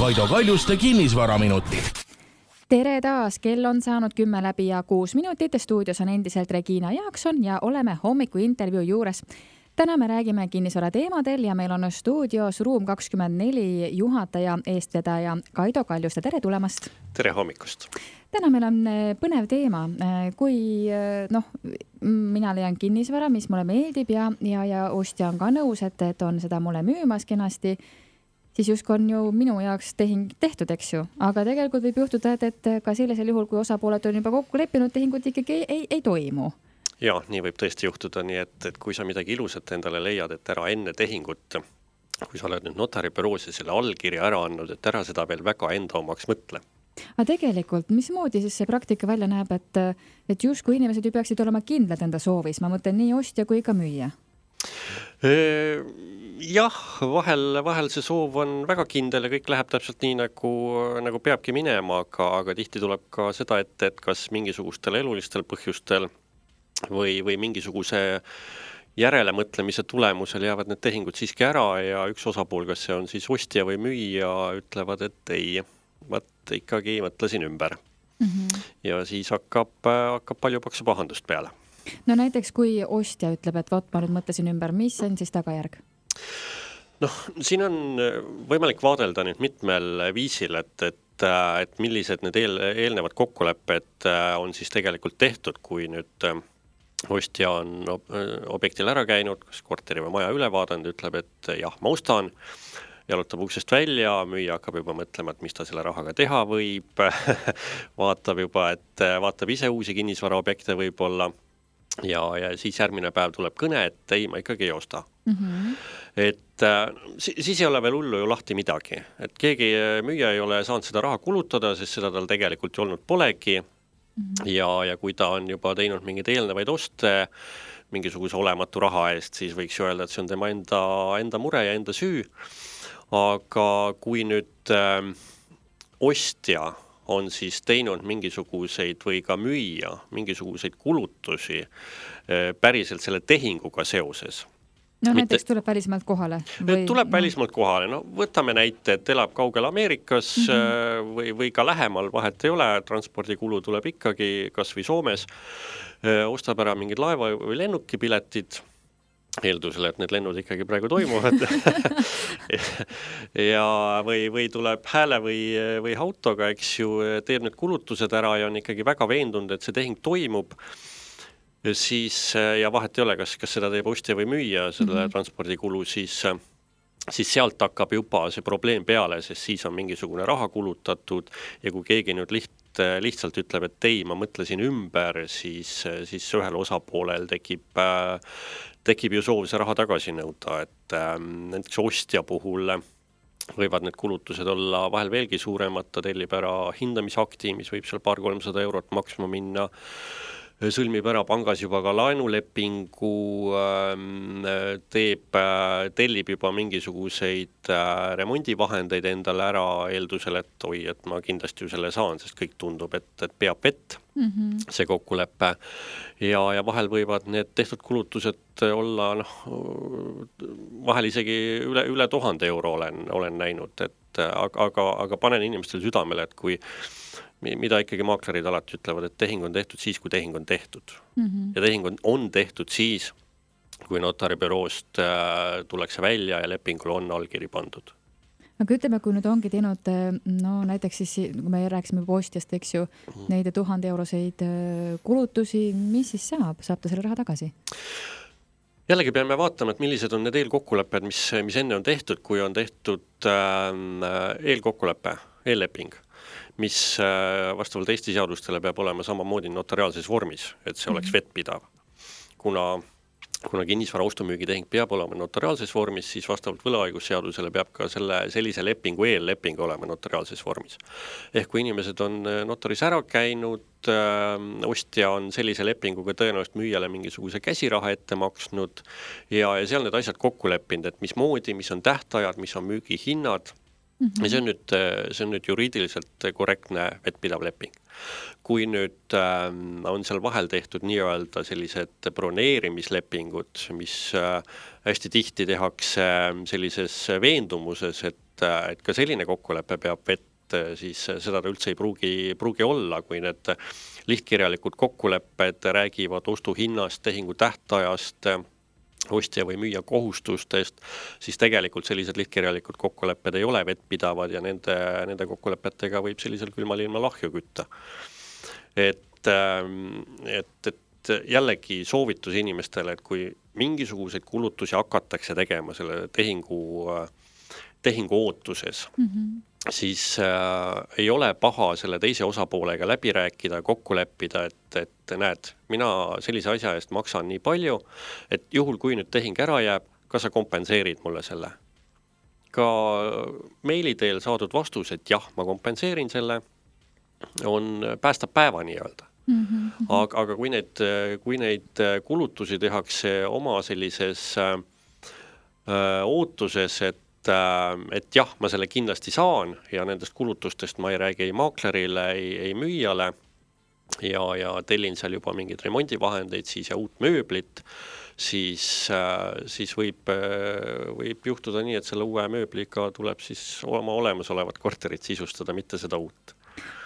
Kaido Kaljuste kinnisvaraminutid. Tere taas, kell on saanud 10 läbi ja 6 minutit. Stuudios on endiselt Regina Jaakson ja oleme hommiku intervjuu juures. Täna me räägime kinnisvara teemadel ja meil on stuudios Ruum 24 juhataja, eestvedaja Kaido Kaljuste. Tere tulemast! Tere hommikust! Täna meil on põnev teema. Kui mina leian kinnisvara, mis mulle meeldib ja ostja on ka nõus, et on seda mulle müümas kenasti, siis justkui on ju minu jaoks tehing tehtud, eks ju. Aga tegelikult võib juhtuda, et ka sellisel juhul, kui osapooled on juba kokku leppinud, tehingut ikkagi ei toimu. Ja, nii võib tõesti juhtuda, nii et kui sa midagi ilusat endale leiad, et ära enne tehingut, kui sa oled nüüd notaribüroos ja selle allkirja ära andnud, et ära seda veel väga enda omaks mõtle. Aga tegelikult, mismoodi siis see praktika välja näeb, et justkui inimesed ju peaksid olema kindlad enda soovis, ma mõtlen nii ostja kui ka müüja? Jah, vahel see soov on väga kindel ja kõik läheb täpselt nii, nagu peabki minema, aga tihti tuleb ka seda, et kas mingisugustel elulistel põhjustel või mingisuguse järelemõtlemise tulemusel jäävad need tehingud siiski ära ja üks osapool, kas see on siis ostja või müüja, ütlevad, et ei, ikkagi mõtlesin ümber. Ja siis hakkab palju paksu pahandust peale. No näiteks, kui ostja ütleb, et ma nüüd mõtlesin ümber, mis on siis tagajärg? Siin on võimalik vaadelda nüüd mitmel viisil, et millised need eelnevad kokkulepped on siis tegelikult tehtud, kui nüüd ostja on objektil ära käinud, kas korteri või maja üle vaadanud, ütleb, et jah, ma ostan, jalutab uksest välja, müüja hakkab juba mõtlema, et mis ta selle rahaga teha võib, vaatab ise uusi kinnisvaraobjekte võib-olla ja siis järgmine päev tuleb kõne, et ei, ma ikkagi ei osta. Et siis ei ole veel hullu ju lahti midagi, et keegi müüja ei ole saanud seda raha kulutada, sest seda tal tegelikult ju olnud polegi. Ja kui ta on juba teinud mingeid eelnevaid oste mingisuguse olematu raha eest, siis võiks ju öelda, et see on tema enda mure ja enda süü. Aga kui nüüd ostja on siis teinud mingisuguseid või ka müüja mingisuguseid kulutusi päriselt selle tehinguga seoses. Näiteks tuleb välismaalt kohale? Tuleb välismaalt kohale. Võtame näite, et elab kaugel Ameerikas või ka lähemal, vahet ei ole, transpordikulu tuleb ikkagi kas või Soomes, ostab ära mingid laeva või lennukipiletid, eeldusele, et need lennud ikkagi praegu toimuvad, ja või tuleb hääle või autoga, eks ju, teeb need kulutused ära ja on ikkagi väga veendunud, et see tehing toimub, siis, ja vahet ei ole, kas seda teeb ostja või müüja, selle transpordikulu, siis sealt hakkab juba see probleem peale, sest siis on mingisugune raha kulutatud ja kui keegi nüüd lihtsalt ütleb, et ei, ma mõtlesin ümber, siis ühel osapoolel tekib ju soov see raha tagasi nõuda, et näiteks ostja puhul võivad need kulutused olla vahel veelgi suuremad, ta tellib ära hindamisakti, mis võib seal 200-300 eurot maksma minna, sõlmib ära pangas juba ka laenulepingu, tellib juba mingisuguseid remondivahendeid endale ära eeldusel, et ma kindlasti ju selle saan, sest kõik tundub, et peab vett see kokkulepe. Ja vahel võivad need tehtud kulutused olla, vahel isegi üle 1000 euro olen näinud, aga panen inimestele südamele, et kui mida ikkagi maaklerid alati ütlevad, et tehing on tehtud siis, kui tehing on tehtud. Ja tehing on tehtud siis, kui notaribüroost tullakse välja ja lepingul on allkiri pandud. Aga ütleme, kui nüüd ongi teinud, näiteks siis, kui me rääksime postjast, eks ju, neid 1000 euroseid kulutusi, mis siis saab? Saab ta selle raha tagasi? Jällegi peame vaatama, et millised on need eelkokkulepped, mis enne on tehtud, kui on tehtud eelkokkulepe, eelleping, mis vastavalt Eesti seadustele peab olema samamoodi notariaalses vormis, et see oleks vettpidav. Kuna kinnisvara ostumüügitehing peab olema notariaalses vormis, siis vastavalt võlaõigusseadusele peab ka sellise lepingu eelleping olema notariaalses vormis. Ehk kui inimesed on notaris ära käinud, ostja on sellise lepinguga tõenäoliselt müüjale mingisuguse käsiraha ette maksnud ja seal need asjad kokku leppinud, et mis on tähtajad, mis on müügihinnad. Ja see on nüüd juriidiliselt korrektne vettpidav leping. Kui nüüd on seal vahel tehtud nii-öelda sellised broneerimislepingud, mis hästi tihti tehakse sellises veendumuses, et et ka selline kokkulepe peab vett, siis seda ta üldse ei pruugi olla, kui need lihtkirjalikud kokkulepped räägivad ostuhinnast, tehingu tähtajast, ostja või müüja kohustustest, siis tegelikult sellised lihtkirjalikud kokkulepped ei ole vettpidavad ja nende kokkulepetega võib sellisel külmal ilma lahju kütta. Et jällegi soovitus inimestele, et kui mingisuguseid kulutusi hakatakse tegema selle tehingu ootuses, siis ei ole paha selle teise osapoolega läbi rääkida, kokku leppida, et näed, mina sellise asja eest maksan nii palju, et juhul kui nüüd tehing ära jääb, kas sa kompenseerid mulle selle? Ka meili teel saadud vastus, et jah, ma kompenseerin selle, päästab päeva nii öelda. Aga kui neid kulutusi tehakse oma sellises ootuses, et jah, ma selle kindlasti saan ja nendest kulutustest ma ei räägi ei maaklerile, ei müüjale ja tellin seal juba mingeid remondivahendeid siis ja uut mööblit, siis võib juhtuda nii, et selle uue mööbliga tuleb siis oma olemasolevat korterit sisustada, mitte seda uut.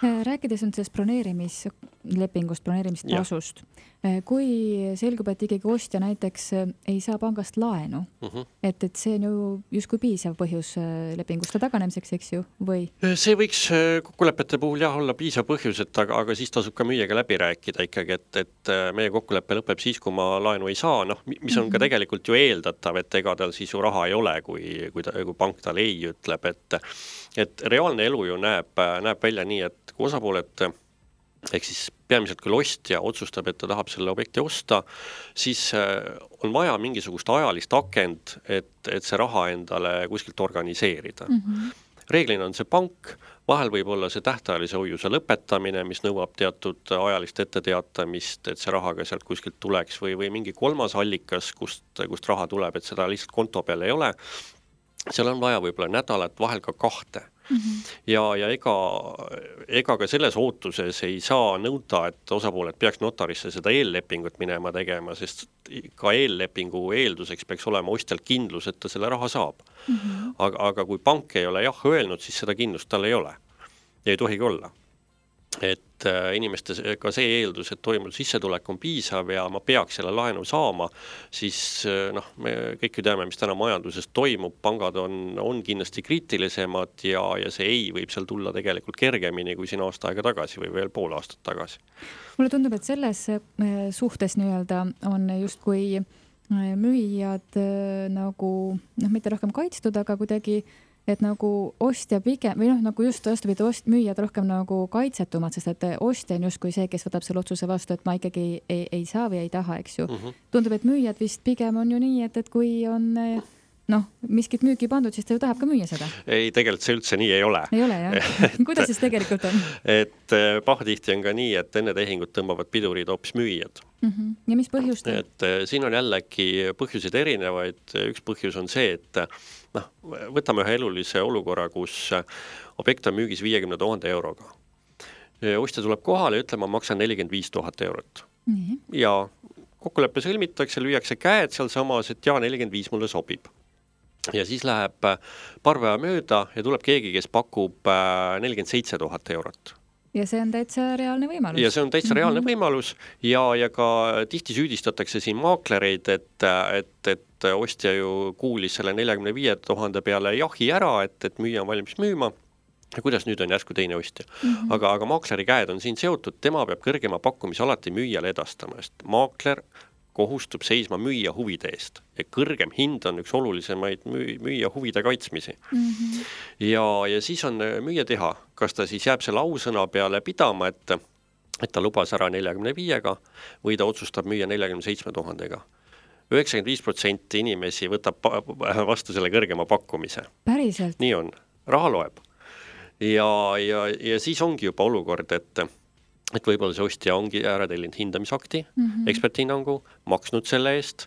Rääkides on sellest broneerimislepingust, broneerimistasust, kui selgub, et ikkagi ostja näiteks ei saa pangast laenu, et see on ju justkui piisav põhjus lepinguste taganemiseks, eks ju, või? See võiks kokkulepete puhul jah olla piisav põhjus, aga siis tasub ka müüjaga läbi rääkida ikkagi, et meie kokkulepe lõpeb siis, kui ma laenu ei saa, mis on ka tegelikult ju eeldatav, et ega tal siis ju raha ei ole, kui pank tal ei ütleb, et reaalne elu ju näeb välja nii, et kui osapooled, ehk siis peamiselt küll ostja otsustab, et ta tahab selle objekti osta, siis on vaja mingisugust ajalist akent, et see raha endale kuskilt organiseerida. Reeglina on see pank, vahel võib olla see tähtajalise hoiuse lõpetamine, mis nõuab teatud ajalist etteteatamist, et see raha ka sealt kuskilt tuleks või mingi kolmas allikas, kust raha tuleb, et seda lihtsalt konto peal ei ole. Seal on vaja võib-olla nädalat, vahel ka 2. Ja ega ka selles ootuses ei saa nõuda, et osapooled peaks notarisse seda eellepingut minema tegema, sest ka eellepingu eelduseks peaks olema ostjal kindlus, et ta selle raha saab. Aga kui pank ei ole jah öelnud, siis seda kindlust tal ei ole. Ja ei tohigi olla. Et inimeste ka see eeldus, et toimunud sissetulek on piisav ja ma peaks selle laenu saama, siis me kõik ju teame, mis täna majanduses toimub, pangad on kindlasti kriitilisemad ja see ei võib seal tulla tegelikult kergemini kui siin aasta aega tagasi või veel pool aastat tagasi. Mulle tundub, et selles suhtes nii-öelda on justkui müüjad nagu, mitte rohkem kaitstud, aga kuidagi et nagu ostja pigem, või nagu just vastupidi, müüjad rohkem nagu kaitsetumad, sest et ostja on justkui see, kes võtab selle otsuse vastu, et ma ikkagi ei saa või ei taha, eks ju. Tundub, et müüjad vist pigem on ju nii, et kui on miskit müüki pandud, siis ta ju tahab ka müüa seda. Ei, tegelikult see üldse nii ei ole. Ei ole, jah. Kuidas siis tegelikult on? Et pahatihti on ka nii, et enne tehingut tõmbavad pidurid hoopis müüjad. Ja mis põhjust? Et siin on jällegi põhjuseid erinevaid. Üks põhjus on see, et võtame ühe elulise olukorra, kus objekt on müügis 50 000 euroga. Ostja tuleb kohale ja ütleb, ma maksan 45 000 eurot. Ja kokkuleppe sõlmitakse, lüüakse käed seal samas, et 45 mulle sobib. Ja siis läheb paar päeva mööda ja tuleb keegi, kes pakub 47 000 eurot. Ja see on täitsa reaalne võimalus. Ja see on täitsa reaalne võimalus ja ka tihti süüdistatakse siin maaklereid, et ostja ju kuulis selle 45 000 peale jahi ära, et müüja on valmis müüma. Ja kuidas nüüd on järsku teine ostja. Aga maakleri käed on siin seotud, tema peab kõrgema pakkumise alati müüjale edastama, sest maakler kohustub seisma müüja huvide eest ja kõrgem hind on üks olulisemaid müüja huvide kaitsmisi. Ja siis on müüja teha, kas ta siis jääb selle ausõna peale pidama, et ta lubas ära 45-ga või ta otsustab müüa 47 000-ga. 95% inimesi võtab vastu selle kõrgema pakkumise. Päriselt? Nii on, raha loeb. Ja siis ongi juba olukord, et võib-olla see ostja ongi ära tellinud hindamisakti, eksperthinnangu, maksnud selle eest,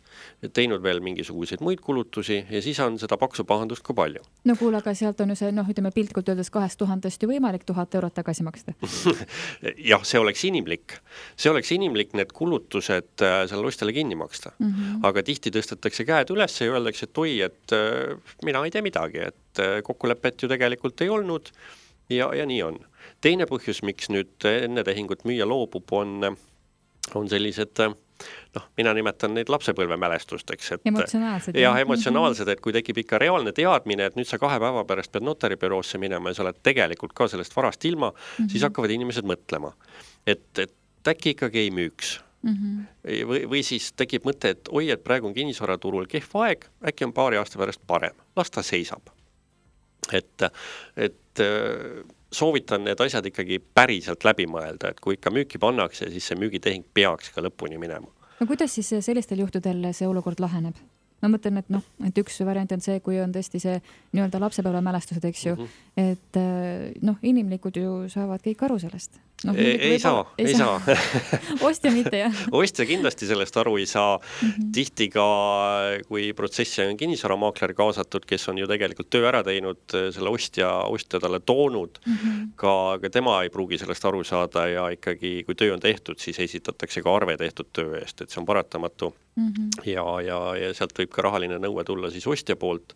teinud veel mingisuguseid muid kulutusi ja siis on seda paksu pahandust ka palju. No kuule, aga sealt on ju see, ütleme piltkult öeldes 2000 ju võimalik 1000 eurot tagasi maksta. Jah, see oleks inimlik. See oleks inimlik need kulutused selle ostjale kinni maksta. Aga tihti tõstetakse käed üles ja öeldakse, et oi, et mina ei tee midagi, et kokkulepet ju tegelikult ei olnud ja nii on. Teine põhjus, miks nüüd enne tehingut müüa loobub, on sellised, mina nimetan neid lapsepõlvemälestusteks. Emotsionaalsed. Jah, emotsionaalsed, et kui tekib ikka reaalne teadmine, et nüüd sa 2 päeva pärast pead notaribüroosse minema ja sa oled tegelikult ka sellest varast ilma, siis hakkavad inimesed mõtlema, et äkki ikkagi ei müüks. Või siis tekib mõte, et oi, et praegu on kinnisvaraturul kehv aeg, äkki on paari aasta pärast parem, las ta seisab. Et soovitan need asjad ikkagi päriselt läbi mõelda, et kui ikka müüki pannakse, siis see müügitehing peaks ka lõpuni minema. No kuidas siis sellistel juhtudel see olukord laheneb? Ma mõtlen, et üks variant on see, kui on tõesti see nii-öelda lapsepõlvemälestused, eks ju, et inimlikud ju saavad kõik aru sellest. Ei saa. Ostja mitte, jah. Ostja kindlasti sellest aru ei saa. Tihti ka, kui protsessi on kinnisvaramaakler kaasatud, kes on ju tegelikult töö ära teinud, selle ostja talle toonud, ka tema ei pruugi sellest aru saada ja ikkagi, kui töö on tehtud, siis esitatakse ka arve tehtud töö eest, et see on paratamatu. Ja sealt võib ka rahaline nõue tulla siis ostja poolt,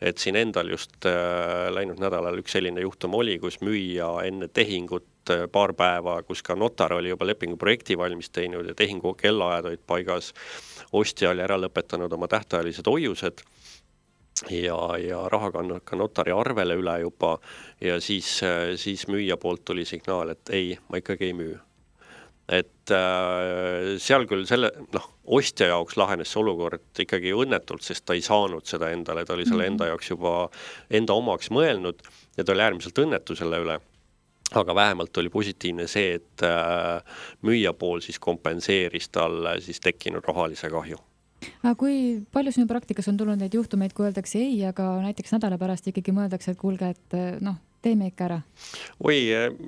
et siin endal just läinud nädalal üks selline juhtum oli, kus müüja enne tehingut paar päeva, kus ka notar oli juba lepingu projekti valmis teinud ja tehingu kellaajad olid paigas, ostja oli ära lõpetanud oma tähtajalised hoiused ja raha kannud ka notari arvele üle juba ja siis müüja poolt tuli signaal, et ei, ma ikkagi ei müü. Et seal küll ostja jaoks lahenes see olukord ikkagi õnnetult, sest ta ei saanud seda endale, ta oli selle enda jaoks juba enda omaks mõelnud ja ta oli äärmiselt õnnetu selle üle. Aga vähemalt oli positiivne see, et müüja pool siis kompenseeris talle siis tekkinud rahalise kahju. Aga kui palju sinu praktikas on tulnud neid juhtumeid, kui öeldakse ei, aga näiteks nädala pärast ikkagi mõeldakse, et kuulge, et teeme ikka ära? Oi,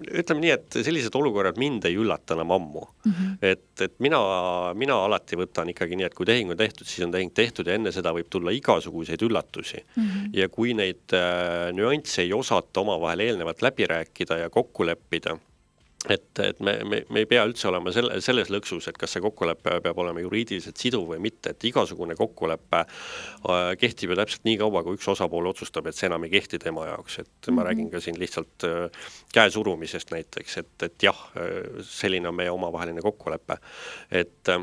ütleme nii, et sellised olukorrad mind ei üllata enam ammu. Et mina alati võtan ikkagi nii, et kui tehing on tehtud, siis on tehing tehtud ja enne seda võib tulla igasuguseid üllatusi. Ja kui neid nüansse ei osata omavahel eelnevalt läbi rääkida ja kokku leppida, et me ei pea üldse olema selles lõksus, et kas see kokkulepe peab olema juriidiliselt siduv või mitte, et igasugune kokkulepe kehtib ju täpselt nii kaua, kui üks osapool otsustab, et see enam ei kehti tema jaoks, et ma räägin ka siin lihtsalt käesurumisest näiteks, et jah, selline on meie omavaheline kokkulepe, et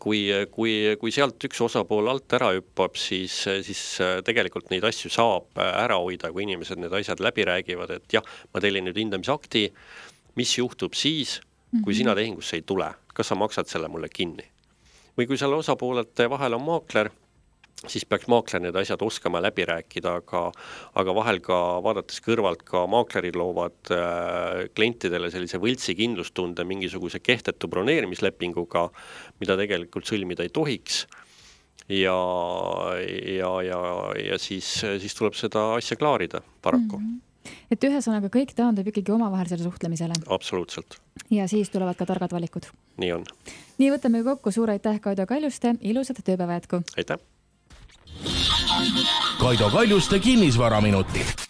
kui sealt üks osapool alt ära hüppab, siis tegelikult neid asju saab ära hoida, kui inimesed need asjad läbi räägivad, et jah, ma tellin nüüd hindamisakti, mis juhtub siis, kui sina tehingusse ei tule, kas sa maksad selle mulle kinni. Või kui selle osapoolete vahel on maakler, siis peaks maakler need asjad oskama läbi rääkida, aga vahel ka vaadates kõrvalt ka maaklerid loovad klientidele sellise võltsi kindlustunde mingisuguse kehtetu broneerimislepinguga, mida tegelikult sõlmida ei tohiks. Ja siis tuleb seda asja klaarida paraku. Et ühesõnaga kõik taandub ikkagi omavahelisele suhtlemisele. Absoluutselt. Ja siis tulevad ka targad valikud. Nii on. Nii võtame kokku, suur aitäh Kaido Kaljuste, ilusat tööpäeva jätku. Aitäh. Kaido Kaljuste kinnisvaraminutid.